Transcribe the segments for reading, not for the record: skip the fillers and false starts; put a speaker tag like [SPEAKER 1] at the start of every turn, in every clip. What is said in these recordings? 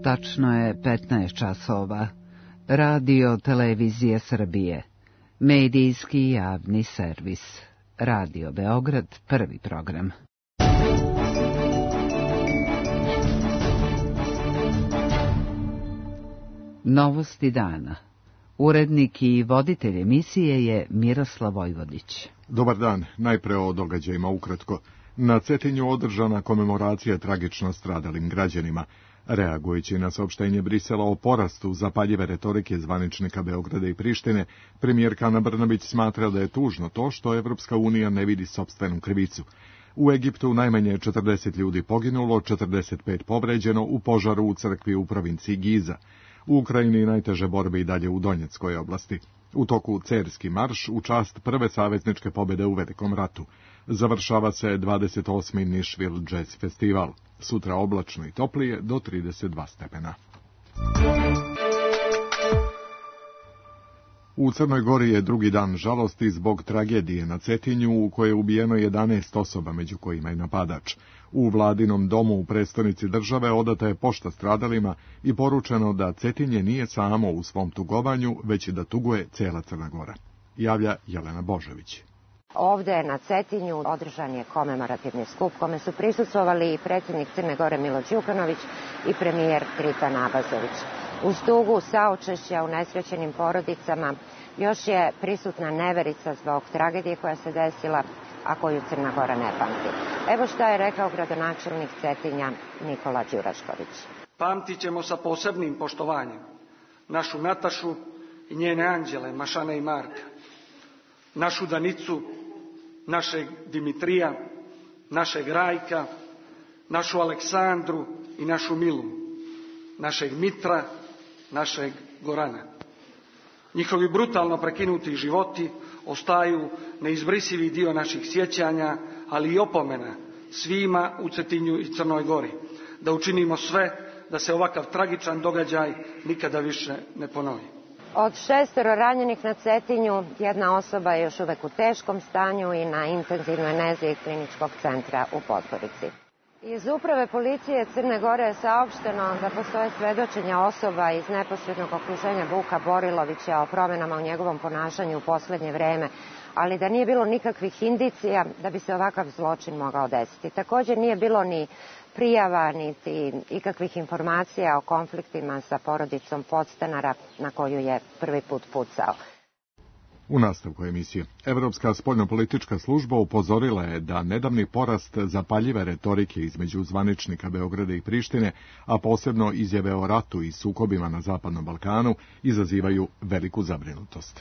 [SPEAKER 1] Tačno je 15 časova. Radio Televizije Srbije. Medijski javni servis. Radio Beograd, prvi program. Novosti dana. Urednik i voditelj emisije je Miroslav Vojvodić.
[SPEAKER 2] Dobar dan, najpre o događajima ukratko. Na Cetinju održana komemoracija tragično stradalim građanima. Reagujući na saopštenje Brisela o porastu zapaljive retorike zvaničnika Beograda i Prištine, premijerka Ana Brnabić smatra da je tužno to što Evropska unija ne vidi sopstvenu krivicu. U Egiptu najmanje 40 ljudi poginulo, 45 povređeno u požaru u crkvi u provinciji Giza. U Ukrajini najteže borbe i dalje u Donjeckoj oblasti. U toku Cerski marš u čast prve savezničke pobjede u Velikom ratu. Završava se 28. Nišvil Jazz Festival. Sutra oblačno i toplije do 32 stepena. U Crnoj Gori je drugi dan žalosti zbog tragedije na Cetinju u kojoj je ubijeno 11 osoba, među kojima i napadač. U vladinom domu u prestonici države odata je pošta stradalima i poručeno da Cetinje nije samo u svom tugovanju, već i da tuguje cela Crna Gora. Javlja Jelena Božović.
[SPEAKER 3] Ovde na Cetinju održan je komemorativni skup kome su prisustvovali i predsjednik Crne Gore Milo Đukanović i premijer Tritan Abazović. Uz tugu saučešća u nesrećenim porodicama još je prisutna neverica zbog tragedije koja se desila, a koju Crna Gora ne pamti. Evo šta je rekao gradonačelnik Cetinja Nikola Đurašković.
[SPEAKER 4] Pamtit ćemo sa posebnim poštovanjem našu Natašu i njene anđele Mašane i Marka, našu Danicu, našeg Dimitrija, našeg Rajka, našu Aleksandru i našu Milu, našeg Mitra, našeg Gorana. Njihovi brutalno prekinuti životi ostaju neizbrisivi dio naših sjećanja, ali i opomena svima u Cetinju i Crnoj Gori, da učinimo sve da se ovakav tragičan događaj nikada više ne ponovi.
[SPEAKER 3] Od 6 ranjenih na Cetinju, jedna osoba je još uvek u teškom stanju i na intenzivnoj nezi Kliničkog centra u Podgorici. Iz uprave policije Crne Gore je saopšteno da postoje svedočenja osoba iz neposrednog okruženja Vuka Borilovića o promenama u njegovom ponašanju u poslednje vreme, ali da nije bilo nikakvih indicija da bi se ovakav zločin mogao desiti. Također nije bilo ni prijava, niti ikakvih informacija o konfliktima sa porodicom podstanara na koju je prvi put pucao.
[SPEAKER 2] U nastavku emisije, Evropska spoljnopolitička služba upozorila je da nedavni porast zapaljive retorike između zvaničnika Beograda i Prištine, a posebno izjave o ratu i sukobima na Zapadnom Balkanu, izazivaju veliku zabrinutost.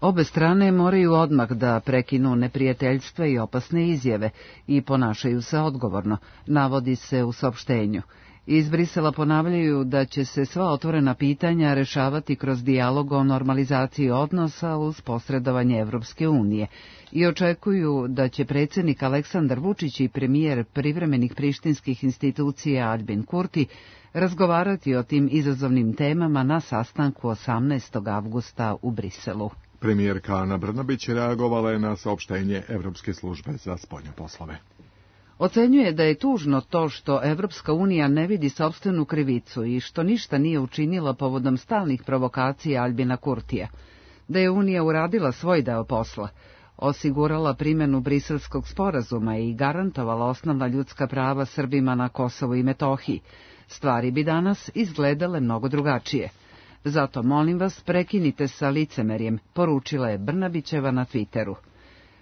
[SPEAKER 1] Obe strane moraju odmah da prekinu neprijateljstva i opasne izjave i ponašaju se odgovorno, navodi se u saopštenju. Iz Brisela ponavljaju da će se sva otvorena pitanja rešavati kroz dijalog o normalizaciji odnosa uz posredovanje Evropske unije i očekuju da će predsjednik Aleksandar Vučić i premijer privremenih prištinskih institucija Aljbin Kurti razgovarati o tim izazovnim temama na sastanku 18. avgusta u Briselu.
[SPEAKER 2] Premijerka Ana Brnabić reagovala je na saopštenje Evropske službe za spoljne poslove.
[SPEAKER 1] Ocenjuje da je tužno to što Evropska unija ne vidi sopstvenu krivicu i što ništa nije učinila povodom stalnih provokacija Aljbina Kurtija, da je Unija uradila svoj deo posla, osigurala primjenu Briselskog sporazuma i garantovala osnovna ljudska prava Srbima na Kosovu i Metohiji. Stvari bi danas izgledale mnogo drugačije. Zato molim vas prekinite sa licemerjem, poručila je Brnabićeva na Twitteru.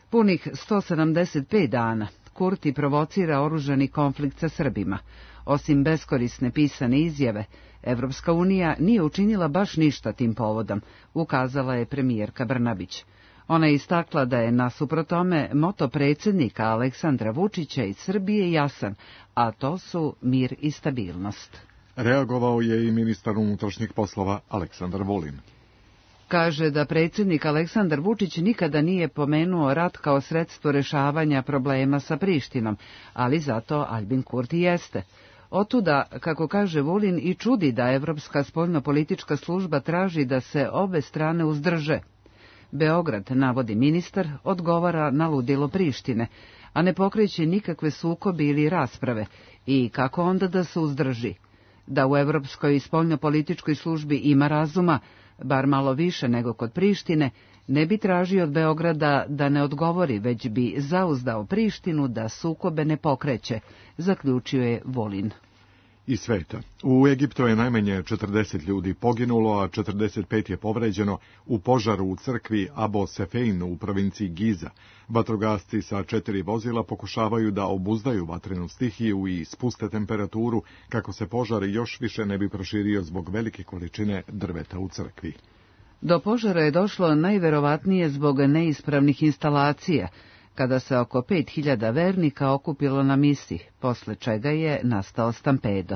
[SPEAKER 1] Punih 175 dana Kurti provocira oružani konflikt sa Srbima. Osim beskorisne pisane izjave, Evropska unija nije učinila baš ništa tim povodom, ukazala je premijerka Brnabić. Ona je istakla da je nasuprot tome moto predsjednika Aleksandra Vučića iz Srbije jasan, a to su mir i stabilnost.
[SPEAKER 2] Reagovao je i ministar unutrašnjih poslova Aleksandar Vulin.
[SPEAKER 1] Kaže da predsjednik Aleksandar Vučić nikada nije pomenuo rat kao sredstvo rešavanja problema sa Prištinom, ali zato Aljbin Kurti jeste. Otuda, kako kaže Vulin, i čudi da Evropska spoljnopolitička služba traži da se obe strane uzdrže. Beograd, navodi ministar, odgovara na ludilo Prištine, a ne pokreće nikakve sukobe ili rasprave, i kako onda da se uzdrži. Da u Evropskoj spoljnopolitičkoj službi ima razuma, bar malo više nego kod Prištine, ne bi tražio od Beograda da ne odgovori, već bi zauzdao Prištinu da sukobe ne pokreće, zaključio je Vulin.
[SPEAKER 2] Iz sveta. U Egiptu je najmanje 40 ljudi poginulo, a 45 je povređeno u požaru u crkvi Abo Sefein u provinciji Giza. Vatrogasci sa 4 vozila pokušavaju da obuzdaju vatrenu stihiju i spuste temperaturu kako se požar još više ne bi proširio zbog velike količine drveta u crkvi.
[SPEAKER 1] Do požara je došlo najverovatnije zbog neispravnih instalacija, kada se oko 5000 vernika okupilo na misi, posle čega je nastao stampedo.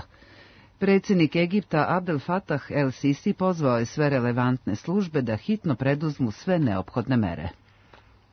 [SPEAKER 1] Predsjednik Egipta Abdel Fattah el-Sisi pozvao je sve relevantne službe da hitno preduzmu sve neophodne mere.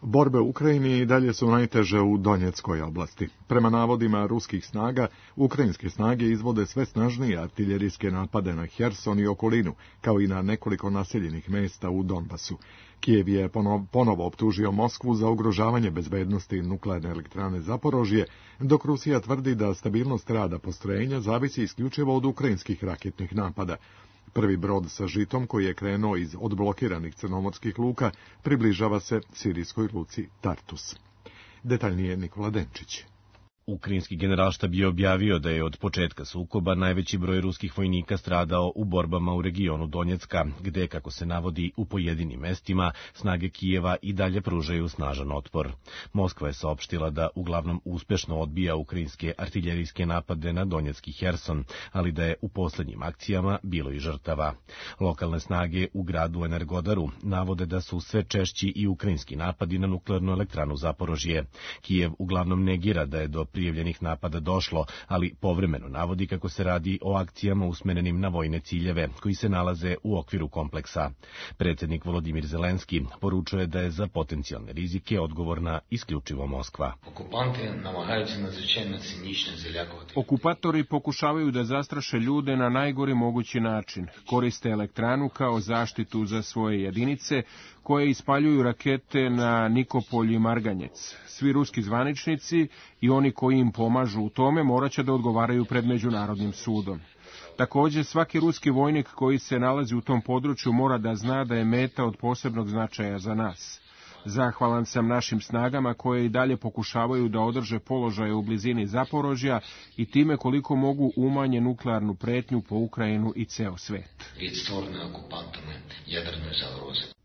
[SPEAKER 2] Borbe u Ukrajini i dalje su najteže u Donjeckoj oblasti. Prema navodima ruskih snaga, ukrajinske snage izvode sve snažnije artiljerijske napade na Herson i okolinu, kao i na nekoliko naseljenih mesta u Donbasu. Kijev je ponovo optužio Moskvu za ugrožavanje bezbednosti nuklearne elektrane Zaporožje, dok Rusija tvrdi da stabilnost rada postrojenja zavisi isključivo od ukrajinskih raketnih napada. Prvi brod sa žitom koji je krenuo iz odblokiranih crnomorskih luka približava se sirijskoj luci Tartus. Detaljnije Nikola Denčić.
[SPEAKER 5] Ukrajinski generalštab je objavio da je od početka sukoba najveći broj ruskih vojnika stradao u borbama u regionu Donjecka, gde, kako se navodi, u pojedinim mestima snage Kijeva i dalje pružaju snažan otpor. Moskva je saopštila da uglavnom uspešno odbija ukrajinske artiljerijske napade na Donjecki Herson, ali da je u poslednjim akcijama bilo i žrtava. Lokalne snage u gradu Energodaru navode da su sve češći i ukrajinski napadi na nuklearnu elektranu Zaporožje. Kijev uglavnom negira da je do prijavljenih napada došlo, ali povremeno navodi kako se radi o akcijama usmerenim na vojne ciljeve, koji se nalaze u okviru kompleksa. Predsjednik Volodimir Zelenski poručuje da je za potencijalne rizike odgovorna isključivo Moskva.
[SPEAKER 6] Okupatori pokušavaju da zastraše ljude na najgori mogući način. Koriste elektranu kao zaštitu za svoje jedinice, koje ispaljuju rakete na Nikopolj i Marganjec. Svi ruski zvaničnici i oni koji im pomažu u tome morat će da odgovaraju pred Međunarodnim sudom. Također, svaki ruski vojnik koji se nalazi u tom području mora da zna da je meta od posebnog značaja za nas. Zahvalan sam našim snagama koje i dalje pokušavaju da održe položaje u blizini Zaporožja i time koliko mogu umanje nuklearnu pretnju po Ukrajinu i ceo svet.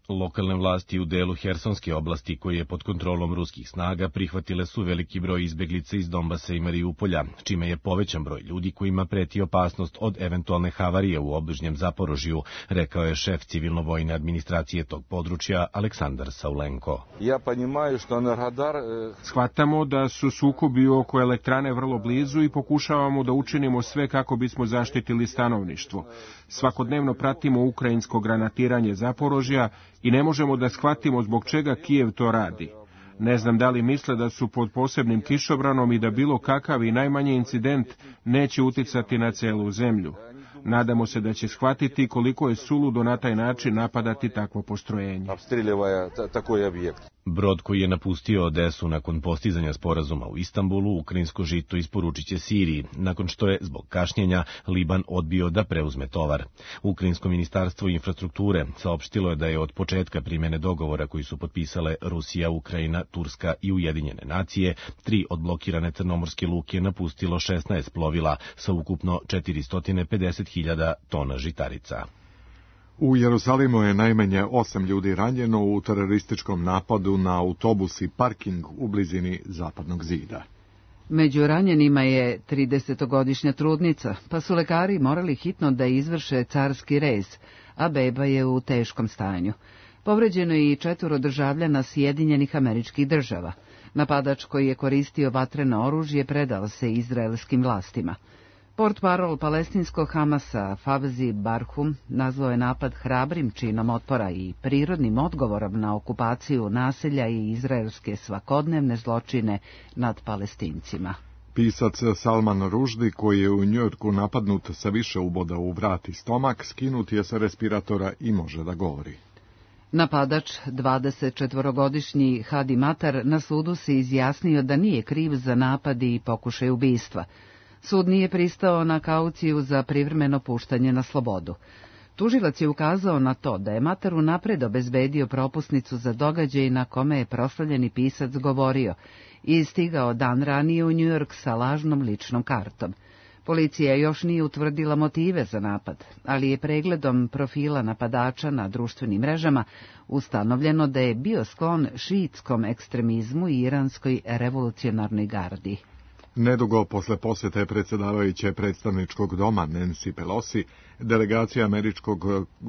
[SPEAKER 5] Lokalne vlasti u delu Hersonske oblasti, koje je pod kontrolom ruskih snaga, prihvatile su veliki broj izbeglica iz Donbasa i Mariupolja, čime je povećan broj ljudi kojima preti opasnost od eventualne havarije u obližnjem Zaporožju, rekao je šef civilno-vojne administracije tog područja Aleksandar Saulenko.
[SPEAKER 6] Shvatamo da su sukobi oko elektrane vrlo blizu i pokušavamo da učinimo sve kako bismo zaštitili stanovništvo. Svakodnevno pratimo ukrajinsko granatiranje Zaporožja i ne možemo da shvatimo zbog čega Kijev to radi. Ne znam da li misle da su pod posebnim kišobranom i da bilo kakav i najmanji incident neće uticati na celu zemlju. Nadamo se da će shvatiti koliko je suludo na taj način napadati takvo postrojenje.
[SPEAKER 5] Brod koji je napustio Odesu nakon postizanja sporazuma u Istanbulu, ukrajinsko žito isporučit će Siriji, nakon što je, zbog kašnjenja, Liban odbio da preuzme tovar. Ukrajinsko ministarstvo infrastrukture saopštilo je da je od početka primjene dogovora koji su potpisale Rusija, Ukrajina, Turska i Ujedinjene nacije, 3 odblokirane crnomorske luke napustilo 16 plovila sa ukupno 450.000 tona žitarica.
[SPEAKER 2] U Jerusalimu je najmanje 8 ljudi ranjeno u terorističkom napadu na autobus i parking u blizini Zapadnog zida.
[SPEAKER 1] Među ranjenima je 30-godišnja trudnica, pa su lekari morali hitno da izvrše carski rez, a beba je u teškom stanju. Povređeno je i 4 državljana Sjedinjenih Američkih Država. Napadač koji je koristio vatreno oružje predao se izraelskim vlastima. Portparol palestinskog Hamasa Fawzi Barhum nazvao je napad hrabrim činom otpora i prirodnim odgovorom na okupaciju naselja i izraelske svakodnevne zločine nad Palestincima.
[SPEAKER 2] Pisac Salman Rushdie, koji je u Njujorku napadnut sa više uboda u vrat i stomak, skinut je sa respiratora i može da govori.
[SPEAKER 1] Napadač, 24-godišnji Hadi Matar, na sudu se izjasnio da nije kriv za napad i pokušaj ubistva. Sud nije pristao na kauciju za privremeno puštanje na slobodu. Tužilac je ukazao na to da je Matar unapred obezbedio propusnicu za događaj na kome je proslavljeni pisac govorio i stigao dan ranije u New York sa lažnom ličnom kartom. Policija još nije utvrdila motive za napad, ali je pregledom profila napadača na društvenim mrežama ustanovljeno da je bio sklon šiitskom ekstremizmu i iranskoj revolucionarnoj gardi.
[SPEAKER 2] Nedugo posle posete predsjedavajuće predstavničkog doma Nancy Pelosi, delegacija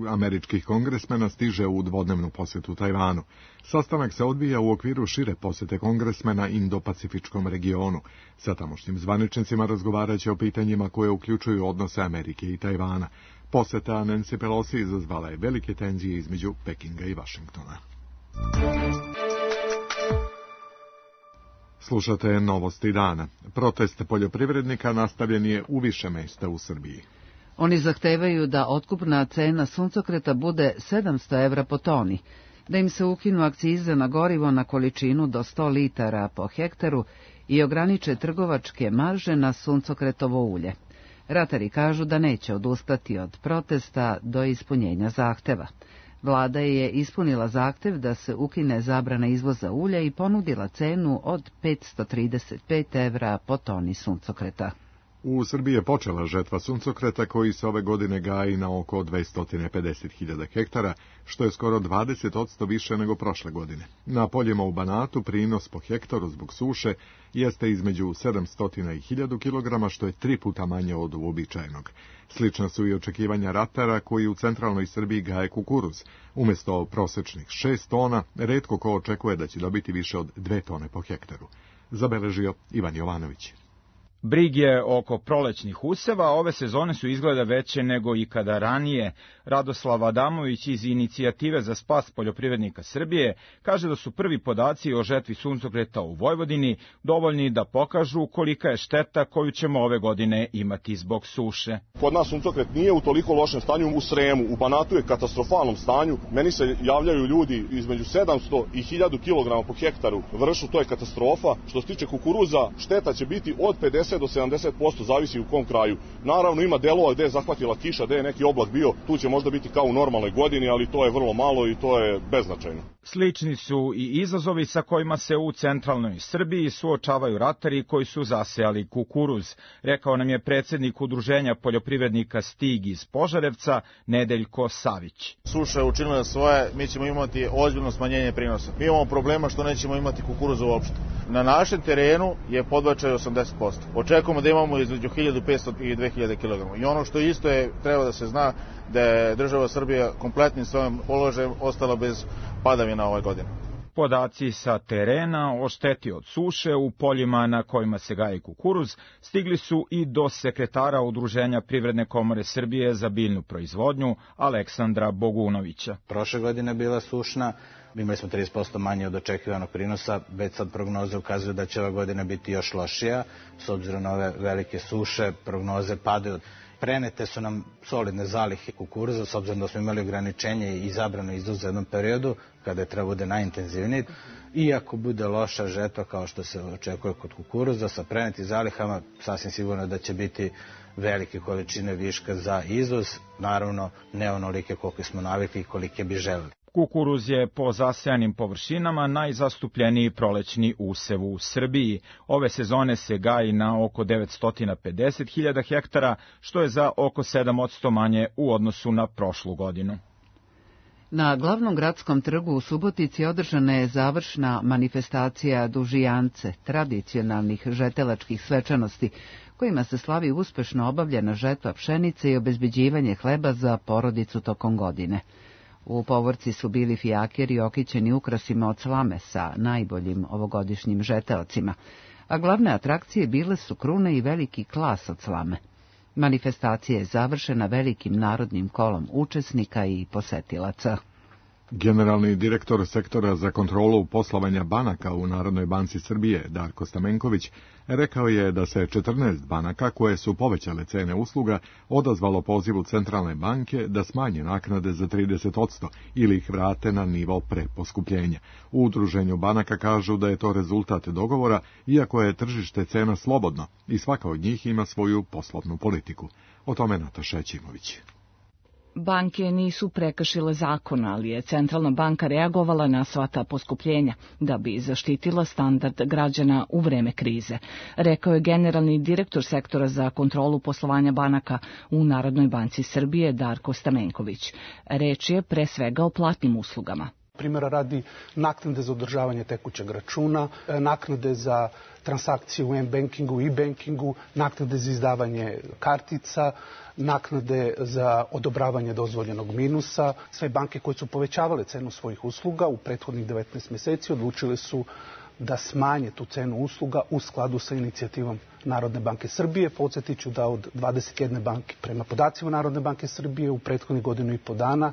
[SPEAKER 2] američkih kongresmena stiže u dvodnevnu posjetu Tajvanu. Sastanak se odvija u okviru šire posete kongresmena Indo-Pacifičkom regionu. Sa tamošnjim zvaničnicima razgovarat će o pitanjima koje uključuju odnose Amerike i Tajvana. Poseta Nancy Pelosi izazvala je velike tenzije između Pekinga i Vašingtona. Slušate novosti dana. Protest poljoprivrednika nastavljen je u više mesta u Srbiji.
[SPEAKER 1] Oni zahtevaju da otkupna cena suncokreta bude 700 evra po toni, da im se ukinu akcize na gorivo na količinu do 100 litara po hektaru i ograniče trgovačke marže na suncokretovo ulje. Ratari kažu da neće odustati od protesta do ispunjenja zahteva. Vlada je ispunila zahtev da se ukine zabrana izvoza ulja i ponudila cenu od 535 evra po toni suncokreta.
[SPEAKER 2] U Srbiji je počela žetva suncokreta koji se ove godine gaji na oko 250.000 hektara, što je skoro 20% više nego prošle godine. Na poljima u Banatu prinos po hektaru zbog suše jeste između 700 i 1000 kg, što je 3 puta manje od uobičajenog. Slična su i očekivanja ratara koji u centralnoj Srbiji gaje kukuruz. Umjesto prosečnih 6 tona, retko ko očekuje da će dobiti više od 2 tone po hektaru. Zabeležio Ivan Jovanović.
[SPEAKER 7] Brige oko prolećnih useva ove sezone su izgleda veće nego ikada ranije. Radoslav Adamović iz Inicijative za spas poljoprivrednika Srbije kaže da su prvi podaci o žetvi suncokreta u Vojvodini dovoljni da pokažu kolika je šteta koju ćemo ove godine imati zbog suše.
[SPEAKER 8] Kod nas suncokret nije u toliko lošem stanju, u Sremu, u Banatu je katastrofalnom stanju. Meni se javljaju ljudi između 700 i 1000 kg po hektaru. Vršu, to je katastrofa. Što se tiče kukuruza, šteta će biti od 50 do 70%, zavisi u kom kraju. Naravno ima delova gde je zahvatila kiša, gde je neki oblak bio, tu će možda biti kao u normalnoj godini, ali to je vrlo malo i to je beznačajno.
[SPEAKER 7] Slični su i izazovi sa kojima se u centralnoj Srbiji suočavaju ratari koji su zasejali kukuruz, rekao nam je predsjednik Udruženja poljoprivrednika Stig iz Požarevca, Nedeljko Savić.
[SPEAKER 9] Suša je učinila svoje, mi ćemo imati ozbiljno smanjenje prinosa. Mi imamo problema što nećemo imati kukuruza uopšte. Na našem terenu je podbačaj 80%. Očekujemo da imamo između 1500 i 2000 kg. I ono što isto je, treba da se zna, da je država Srbija kompletnim svojim položajem ostala bez padavina ove godine.
[SPEAKER 7] Podaci sa terena o šteti od suše u poljima na kojima se gaji kukuruz stigli su i do sekretara Udruženja Privredne komore Srbije za biljnu proizvodnju Aleksandra Bogunovića.
[SPEAKER 10] Prošle godine bila sušna, imali smo 30% manje od očekivanog prinosa, već sad prognoze ukazuju da će ova godina biti još lošija, s obzirom na ove velike suše, prognoze padaju. Prenete su nam solidne zalihe kukuruza, s obzirom da smo imali ograničenje i zabranu izvoza u jednom periodu, kada je treba bude najintenzivniji. Iako bude loša žetva, kao što se očekuje kod kukuruza, sa prenetim zalihama, sasvim sigurno da će biti velike količine viška za izvoz, naravno ne onolike koliko smo navikli i kolike bi želeli.
[SPEAKER 7] Kukuruz je po zasejanim površinama najzastupljeniji prolećni usev u Srbiji. Ove sezone se gaji na oko 950.000 hektara, što je za oko 7% manje u odnosu na prošlu godinu.
[SPEAKER 1] Na glavnom gradskom trgu u Subotici održana je završna manifestacija Dužijance, tradicionalnih žetelačkih svečanosti, kojima se slavi uspešno obavljena žetva pšenice i obezbeđivanje hleba za porodicu tokom godine. U povorci su bili fijakeri okićeni ukrasima od slame sa najboljim ovogodišnjim žeteocima, a glavne atrakcije bile su krune i veliki klas od slame. Manifestacija je završena velikim narodnim kolom učesnika i posetilaca.
[SPEAKER 2] Generalni direktor sektora za kontrolu poslovanja banaka u Narodnoj banci Srbije, Darko Stamenković, Rekao je da se 14 banaka koje su povećale cene usluga odazvalo pozivu Centralne banke da smanje naknade za 30% ili ih vrate na nivo pre poskupljenja. U udruženju banaka kažu da je to rezultat dogovora, iako je tržište cena slobodno i svaka od njih ima svoju poslovnu politiku. O tome Nataša Ćimović.
[SPEAKER 11] Banke nisu prekršile zakon, ali je Centralna banka reagovala na sva ta poskupljenja da bi zaštitila standard građana u vreme krize, rekao je generalni direktor sektora za kontrolu poslovanja banaka u Narodnoj banci Srbije Darko Stamenković. Reč je pre svega o platnim uslugama.
[SPEAKER 12] Primjera radi naknade za održavanje tekućeg računa, naknade za transakcije u m-bankingu i e-bankingu, naknade za izdavanje kartica, naknade za odobravanje dozvoljenog minusa. Sve banke koje su povećavale cenu svojih usluga u prethodnih 19 meseci odlučile su da smanje tu cenu usluga u skladu sa inicijativom Narodne banke Srbije. Podsjetiću da od 21 banke, prema podacima Narodne banke Srbije, u prethodnih godinu i po dana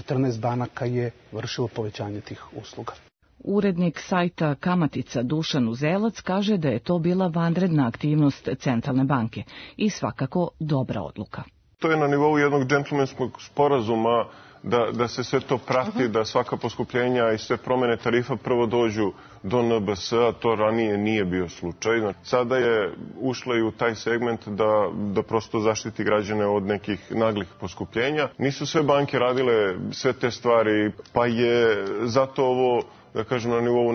[SPEAKER 12] 14 banaka je vršilo povećanje tih usluga.
[SPEAKER 11] Urednik sajta Kamatica Dušan Uzelac kaže da je to bila vanredna aktivnost Centralne banke i svakako dobra odluka.
[SPEAKER 13] To je na nivou jednog džentlmenskog sporazuma da se sve to prati, da svaka poskupljenja i sve promene tarifa prvo dođu do NBS-a, to ranije nije bio slučaj. Sada je ušla i u taj segment da prosto zaštiti građane od nekih naglih poskupljenja. Nisu sve banke radile sve te stvari, pa je zato ovo, da kažem, na nivou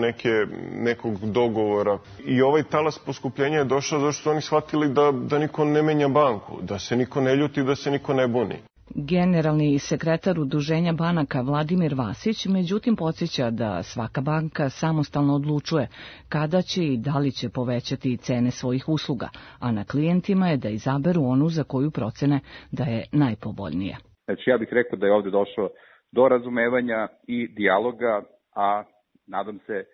[SPEAKER 13] nekog dogovora. I ovaj talas poskupljenja je došao zato što su oni shvatili da niko ne menja banku, da se niko ne ljuti, da se niko ne buni.
[SPEAKER 11] Generalni sekretar Udruženja banaka Vladimir Vasić međutim podsjeća da svaka banka samostalno odlučuje kada će i da li će povećati cene svojih usluga, a na klijentima je da izaberu onu za koju procene da je najpovoljnija.
[SPEAKER 14] Znači ja bih rekao da je ovdje došlo do razumevanja i dijaloga, a nadam se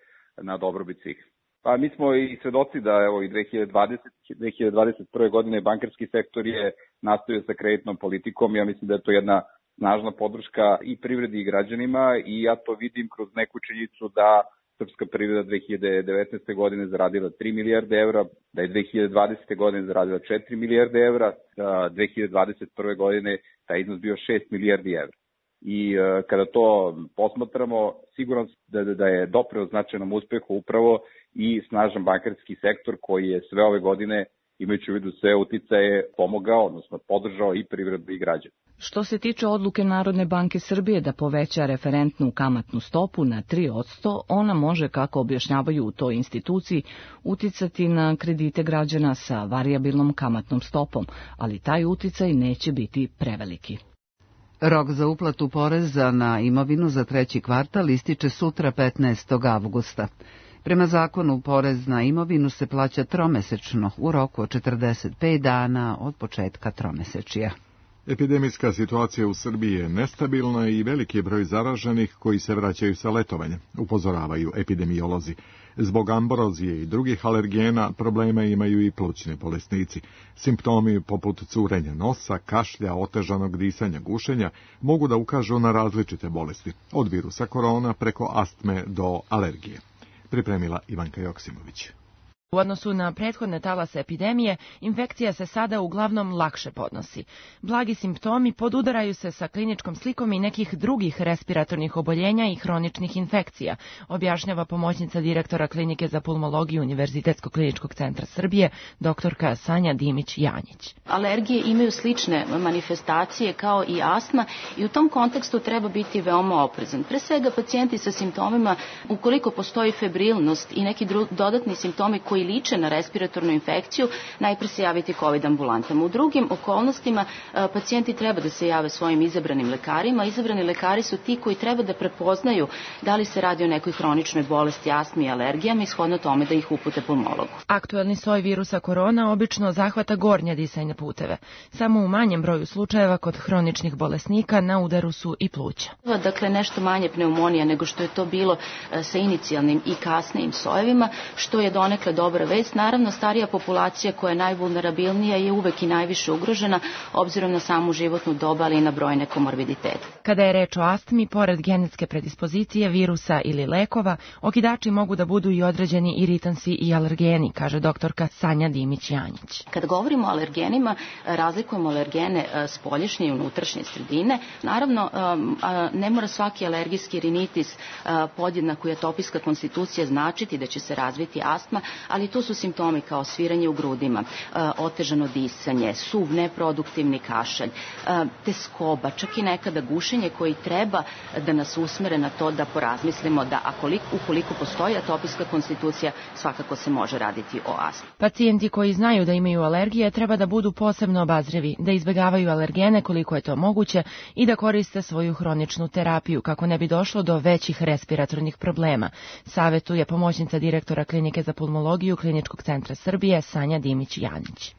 [SPEAKER 14] na dobrobit svih. Pa mi smo i svedoci da evo i 2021. godine bankarski sektor je nastavio sa kreditnom politikom. Ja mislim da je to jedna snažna podrška i privredi i građanima i ja to vidim kroz neku činjenicu da srpska privreda 2019. godine zaradila 3 milijarde evra, da je 2020. godine zaradila 4 milijarde evra, 2021. godine taj iznos bio 6 milijardi evra. I kada to posmatramo, siguran da je doprineo značajnom uspehu upravo i snažan bankarski sektor koji je sve ove godine, imajući u vidu sve uticaje, pomogao, odnosno podržao i privredu i građane.
[SPEAKER 11] Što se tiče odluke Narodne banke Srbije da poveća referentnu kamatnu stopu na 3%, ona može, kako objašnjavaju u toj instituciji, uticati na kredite građana sa varijabilnom kamatnom stopom, ali taj uticaj neće biti preveliki.
[SPEAKER 1] Rok za uplatu poreza na imovinu za treći kvartal ističe sutra 15. avgusta. Prema zakonu, porez na imovinu se plaća tromesečno u roku od 45 dana od početka tromesečija.
[SPEAKER 2] Epidemijska situacija u Srbiji je nestabilna i veliki je broj zaraženih koji se vraćaju sa letovanja, upozoravaju epidemiolozi. Zbog ambrozije i drugih alergena problema imaju i plućni bolesnici. Simptomi poput curenja nosa, kašlja, otežanog disanja, gušenja mogu da ukažu na različite bolesti, od virusa korona preko astme do alergije. Pripremila Ivanka Joksimović.
[SPEAKER 15] U odnosu na prethodne talase epidemije, infekcija se sada uglavnom lakše podnosi. Blagi simptomi podudaraju se sa kliničkom slikom i nekih drugih respiratornih oboljenja i hroničnih infekcija, objašnjava pomoćnica direktora Klinike za pulmologiju Univerzitetskog kliničkog centra Srbije, doktorka Sanja Dimić-Janjić.
[SPEAKER 16] Alergije imaju slične manifestacije kao i astma i u tom kontekstu treba biti veoma oprezan. Pre svega pacijenti sa simptomima, ukoliko postoji febrilnost i neki dodatni simptomi koji liče na respiratornu infekciju, najpre se javiti COVID ambulantama. U drugim okolnostima pacijenti treba da se jave svojim izabranim lekarima. Izabrani lekari su ti koji treba da prepoznaju da li se radi o nekoj hroničnoj bolesti, astmi i alergijama i shodno tome da ih upute pulmologu.
[SPEAKER 15] Aktuelni soj virusa korona obično zahvata gornje disajne puteve. Samo u manjem broju slučajeva kod hroničnih bolesnika na udaru su i pluća.
[SPEAKER 16] Dakle, nešto manje pneumonija nego što je to bilo sa inicijalnim i kasnijim sojevima, što je donekle dobra vest. Naravno, starija populacija koja je najvulnerabilnija je uvek i najviše ugrožena, obzirom na samu životnu dobu, ali i na brojne komorbiditete.
[SPEAKER 15] Kada je reč o astmi, pored genetske predispozicije, virusa ili lekova, okidači mogu da budu i određeni iritansi i alergeni, kaže doktorka Sanja Dimić-Janjić.
[SPEAKER 16] Kad govorimo o alergenima, razlikujemo alergene spoljašnje i unutrašnje sredine. Naravno, ne mora svaki alergijski rinitis podjednako i atopijska konstitucija značiti da će se razviti astma, ali tu su simptomi kao sviranje u grudima, otežano disanje, suv, neproduktivni kašalj, teskoba, čak i nekada gušenje koji treba da nas usmere na to da porazmislimo da ukoliko postoji atopijska konstitucija, svakako se može raditi o astmi.
[SPEAKER 15] Pacijenti koji znaju da imaju alergije treba da budu posebno obazrivi, da izbegavaju alergene koliko je to moguće i da koriste svoju hroničnu terapiju kako ne bi došlo do većih respiratornih problema, savetuje pomoćnica direktora Klinike za pulmologiju Kliničkog centra Srbije Sanja Dimić-Janjić.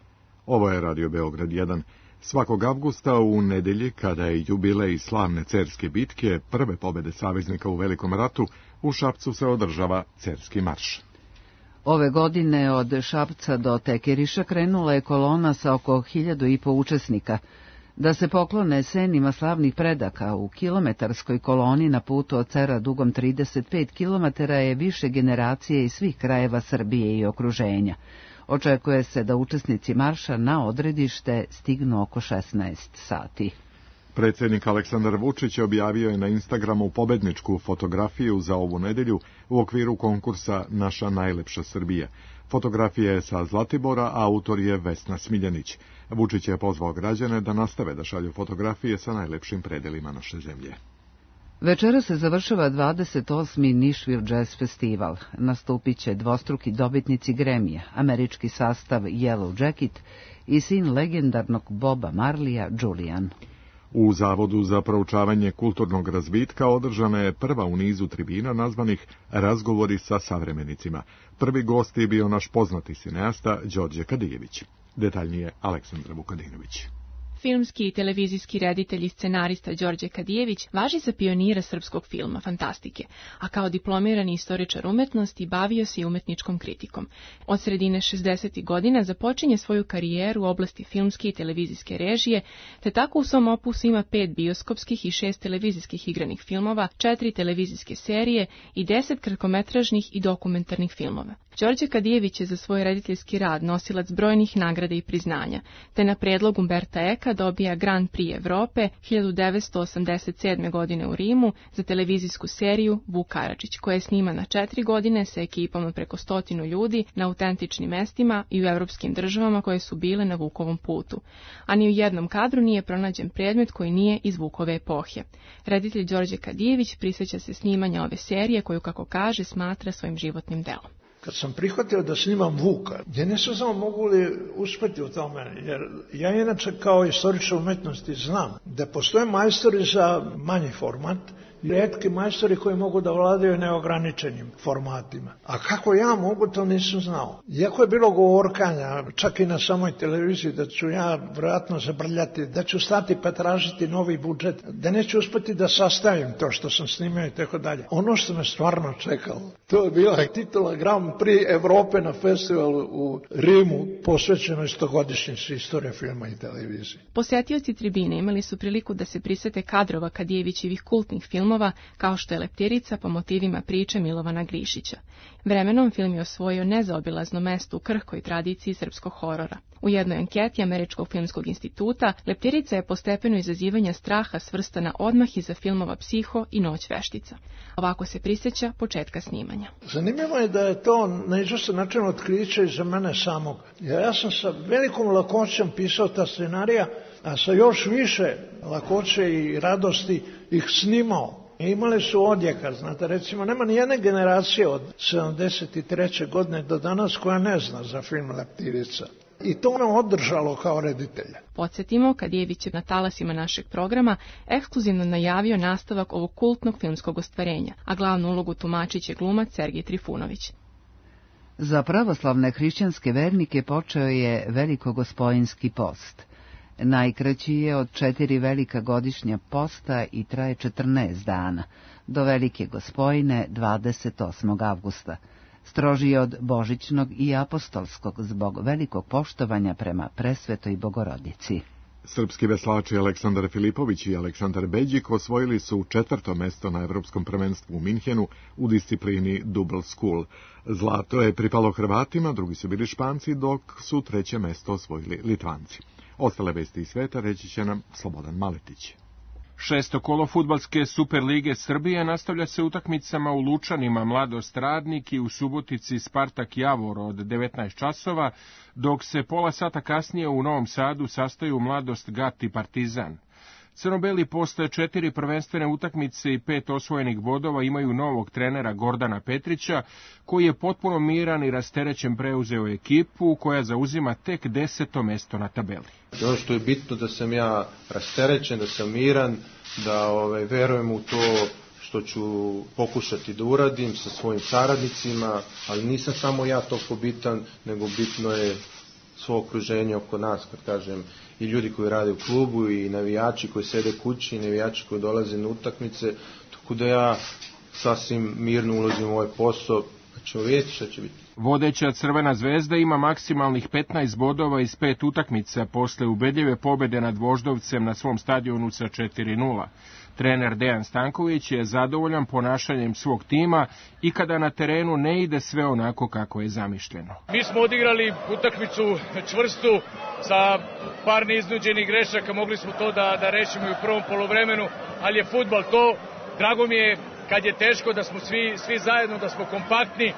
[SPEAKER 2] Ovo je Radio Beograd 1. Svakog avgusta u nedelji, kada je jubilej slavne Cerske bitke, prve pobede saveznika u Velikom ratu, u Šapcu se održava Cerski marš.
[SPEAKER 1] Ove godine od Šapca do Tekeriša krenula je kolona sa oko 1.500 učesnika. Da se poklone senima slavnih predaka, u kilometarskoj koloni na putu od Cera dugom 35 km je više generacije iz svih krajeva Srbije i okruženja. Očekuje se da učesnici marša na odredište stignu oko 16 sati.
[SPEAKER 2] Predsjednik Aleksandar Vučić objavio je na Instagramu pobedničku fotografiju za ovu nedelju u okviru konkursa Naša najlepša Srbija. Fotografija je sa Zlatibora, a autor je Vesna Smiljanić. Vučić je pozvao građane da nastave da šalju fotografije sa najlepšim predelima naše zemlje.
[SPEAKER 1] Večera se završava 28. Nashville Jazz Festival. Nastupit će dvostruki dobitnici Grammy-a, američki sastav Yellow Jacket i sin legendarnog Boba Marleya, Julian.
[SPEAKER 2] U Zavodu za proučavanje kulturnog razvitka održana je prva u nizu tribina nazvanih Razgovori sa savremenicima. Prvi gost je bio naš poznati cineasta Đorđe Kadijević. Detaljnije Aleksandra Vukadinović.
[SPEAKER 17] Filmski i televizijski reditelj i scenarista Đorđe Kadijević važi za pionira srpskog filma, fantastike, a kao diplomirani istoričar umetnosti bavio se i umetničkom kritikom. Od sredine 60. godina započinje svoju karijeru u oblasti filmske i televizijske režije, te tako u svom opusu ima 5 bioskopskih i 6 televizijskih igranih filmova, 4 televizijske serije i 10 kratkometražnih i dokumentarnih filmova. Đorđe Kadijević je za svoj rediteljski rad nosilac brojnih nagrada i priznanja, te na predlog Umberta Eka dobija Grand Prix Evrope 1987. godine u Rimu za televizijsku seriju Vuk Karadžić, koja je snimana 4 godine sa ekipom od preko 100 ljudi na autentičnim mestima i u evropskim državama koje su bile na Vukovom putu. A ni u jednom kadru nije pronađen predmet koji nije iz Vukove epohe. Reditelj Đorđe Kadijević prisjeća se snimanja ove serije koju, kako kaže, smatra svojim životnim delom.
[SPEAKER 18] Kad sam prihvatio da snimam Vuka, ja nisam znao mogu li uspeti u tome, jer ja inače kao istoričar umetnosti znam da postoje majstori za manji format, retki majstori koji mogu da vladaju neograničenim formatima. A kako ja mogu, to nisam znao. Iako je bilo govorkanja, čak i na samoj televiziji, da ću ja vjerojatno zabrljati, da ću stati pa tražiti novi budžet, da neću uspeti da sastavim to što sam snimio i tako dalje. Ono što me stvarno čekalo, to je bila titula Grand Prix Evrope na festivalu u Rimu, posvećenoj 100-godišnjici istorije filma i televizije.
[SPEAKER 17] Posetioci tribine imali su priliku da se prisete kadrova Kadijevićevih kultnih filmova, kao što je Leptirica po motivima priče Milovana Grišića. Vremenom film je osvojio nezaobilazno mesto u krhkoj tradiciji srpskog horora. U jednoj anketi Američkog filmskog instituta, Leptirica je po stepenu izazivanja straha svrstana odmah iza filmova Psiho i Noć veštica. Ovako se prisjeća početka snimanja.
[SPEAKER 18] Zanimljivo je da je to na izvestan način otkriće i za mene samog. Ja sam sa velikom lakoćom pisao ta scenarija, a sa još više lakoće i radosti ih snimao. Imali su odjeka, znate, recimo, nema ni jedne generacije od 73. godine do danas koja ne zna za film Leptirica. I to ono održalo kao reditelja.
[SPEAKER 17] Podsjetimo, Kadijević je na talasima našeg programa ekskluzivno najavio nastavak ovog kultnog filmskog ostvarenja, a glavnu ulogu tumačit će glumac Sergij Trifunović.
[SPEAKER 1] Za pravoslavne hrišćanske vernike počeo je Velikogospojinski post. Najkraći je od 4 velika godišnja posta i traje 14 dana, do Velike Gospojine 28. avgusta. strožiji od božićnog i apostolskog zbog velikog poštovanja prema presvetoj Bogorodici.
[SPEAKER 2] Srpski veslači Aleksandar Filipović i Aleksandar Beđik osvojili su 4. mesto na Evropskom prvenstvu u Minhenu u disciplini Double School. Zlato je pripalo Hrvatima, drugi su bili Španci, dok su 3. mesto osvojili Litvanci. Ostale vesti iz sveta reći će nam Slobodan Maletić.
[SPEAKER 6] 6. kolo fudbalske Superlige Srbije nastavlja se utakmicama u Lučanima Mladost Radnik i u Subotici Spartak Javor od 19 časova, dok se pola sata kasnije u Novom Sadu sastaju Mladost Gat i Partizan. Crno-beli posle 4 prvenstvene utakmice i 5 osvojenih bodova imaju novog trenera Gordana Petrića, koji je potpuno miran i rasterećen preuzeo ekipu koja zauzima tek 10. mesto na tabeli.
[SPEAKER 19] Ono što je bitno da sam ja rasterećen, da sam miran, da verujem u to što ću pokušati da uradim sa svojim saradnicima, ali nisam samo ja toliko bitan, nego bitno je svo okruženje oko nas, kad kažem, i ljudi koji rade u klubu, i navijači koji sede kući, i navijači koji dolaze na utakmice, tako da ja sasvim mirno ulazim u ovaj posao, pa ćemo vidjeti šta će biti.
[SPEAKER 6] Vodeća Crvena zvezda ima maksimalnih 15 bodova iz 5 utakmica posle ubedljive pobede nad Voždovcem na svom stadionu sa 4:0. Trener Dejan Stanković je zadovoljan ponašanjem svog tima i kada na terenu ne ide sve onako kako je zamišljeno.
[SPEAKER 20] Mi smo odigrali utakmicu čvrstu sa par neiznuđenih grešaka, mogli smo to da rešimo i u prvom poluvremenu, ali je fudbal to. Drago mi je kad je teško da smo svi zajedno, da smo kompaktni,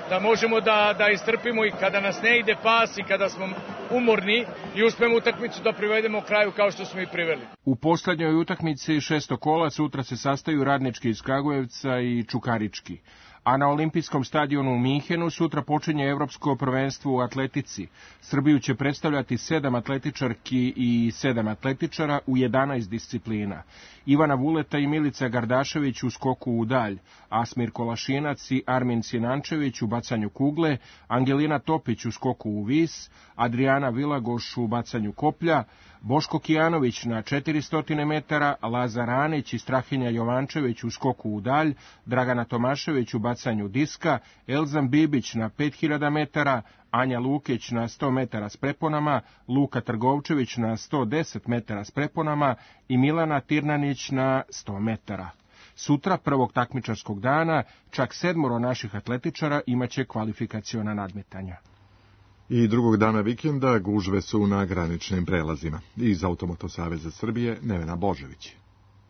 [SPEAKER 20] da možemo da istrpimo i kada nas ne ide pas i kada smo umorni i uspemo utakmicu da privedemo kraju kao što smo i priveli.
[SPEAKER 6] U poslednjoj utakmici 6. kola sutra se sastaju Radnički iz Kragujevca i Čukarički. A na olimpijskom stadionu u Minhenu sutra počinje Evropsko prvenstvo u atletici. Srbiju će predstavljati 7 atletičarki i 7 atletičara u 11 disciplina. Ivana Vuleta i Milica Gardašević u skoku u dalj, Asmir Kolašinac i Armin Sinančević u bacanju kugle, Angelina Topić u skoku u vis, Adriana Vilagoš u bacanju koplja, Boško Kijanović na 400 metara, Lazar Anić i Strahinja Jovančević u skoku u dalj, Dragana Tomašević u bacanju diska, Elzan Bibić na 5000 metara, Anja Lukić na 100 metara s preponama, Luka Trgovčević na 110 metara s preponama i Milana Tirnanić na 100 metara. Sutra, prvog takmičarskog dana, čak 7 naših atletičara imaće kvalifikaciona nadmetanja.
[SPEAKER 2] I drugog dana vikenda gužve su na graničnim prelazima. Iz Automoto Saveza Srbije, Nevena Božević.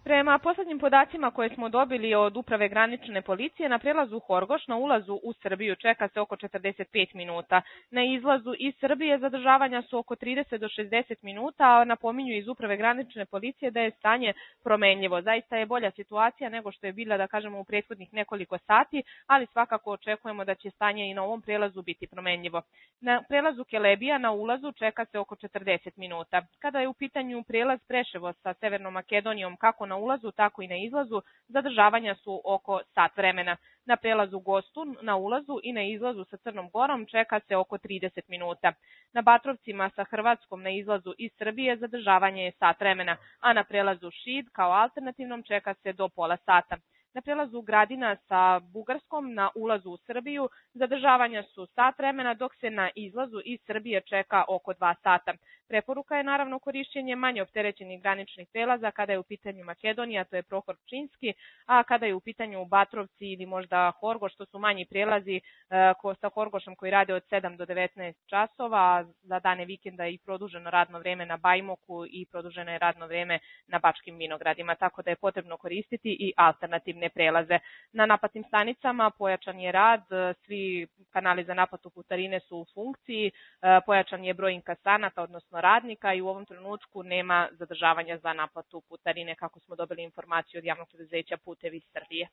[SPEAKER 21] Prema poslednjim podacima koje smo dobili od Uprave granične policije, na prelazu Horgoš na ulazu u Srbiju čeka se oko 45 minuta. Na izlazu iz Srbije zadržavanja su oko 30 do 60 minuta, a napominju iz Uprave granične policije da je stanje promenljivo. Zaista je bolja situacija nego što je bila, da kažemo, u prethodnih nekoliko sati, ali svakako očekujemo da će stanje i na ovom prelazu biti promenljivo. Na prelazu Kelebija na ulazu čeka se oko 40 minuta. Kada je u pitanju prelaz Preševo sa Severnom Makedonijom, kako na ulazu, tako i na izlazu, zadržavanja su oko sat vremena. Na prelazu Gostu, na ulazu i na izlazu sa Crnom Gorom čeka se oko 30 minuta. Na Batrovcima sa Hrvatskom na izlazu iz Srbije zadržavanje je sat vremena, a na prelazu Šid kao alternativnom čeka se do pola sata. Na prelazu Gradina sa Bugarskom na ulazu u Srbiju zadržavanja su sat vremena, dok se na izlazu iz Srbije čeka oko 2 sata. Preporuka je naravno korišćenje manje opterećenih graničnih prelaza kada je u pitanju Makedonija, to je Prohor Pčinski, a kada je u pitanju Batrovci ili možda Horgoš, to su manji prelazi sa Horgošom koji rade od 7 do 19 časova, za dane vikenda je i produženo radno vreme na Bajmoku i produženo je radno vreme na Bačkim Vinogradima, tako da je potrebno koristiti i alternativne prelaze. Na naplatnim stanicama pojačan je rad, svi kanali za naplatu putarine su u funkciji, pojačan je broj inkasanata, odnosno radnika, i u ovom trenutku nema zadržavanja za naplatu putarine, kako smo dobili informaciju od javnog preduzeća Putevi Srbije.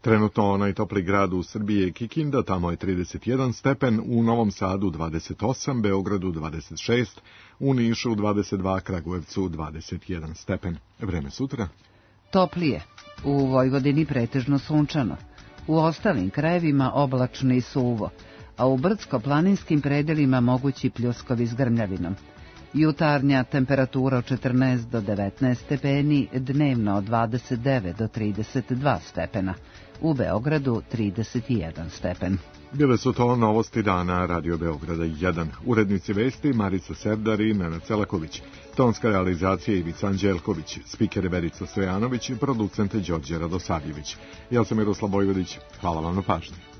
[SPEAKER 2] Trenutno najtopli grad u Srbiji je Kikinda, tamo je 31 stepen, u Novom Sadu 28, Beogradu 26, u Nišu 22, Kragujevcu 21 stepen. Vreme sutra?
[SPEAKER 1] Toplije. U Vojvodini pretežno sunčano. U ostalim krajevima oblačno i suvo, a u brdsko-planinskim predelima mogući pljuskovi s grmljavinom. Jutarnja temperatura od 14 do 19 stepeni, dnevno od 29 do 32 stepena. U Beogradu 31 stepen.
[SPEAKER 2] Bile su to novosti dana Radio Beograda 1. Urednici vesti Marica Serdar i Nenad Celaković. Tonska realizacija Ivica Anđelković, spiker Verica Stojanović i producent Đorđe Radosavljević. Ja sam Miroslav Vojvodić. Hvala vam na pažnji.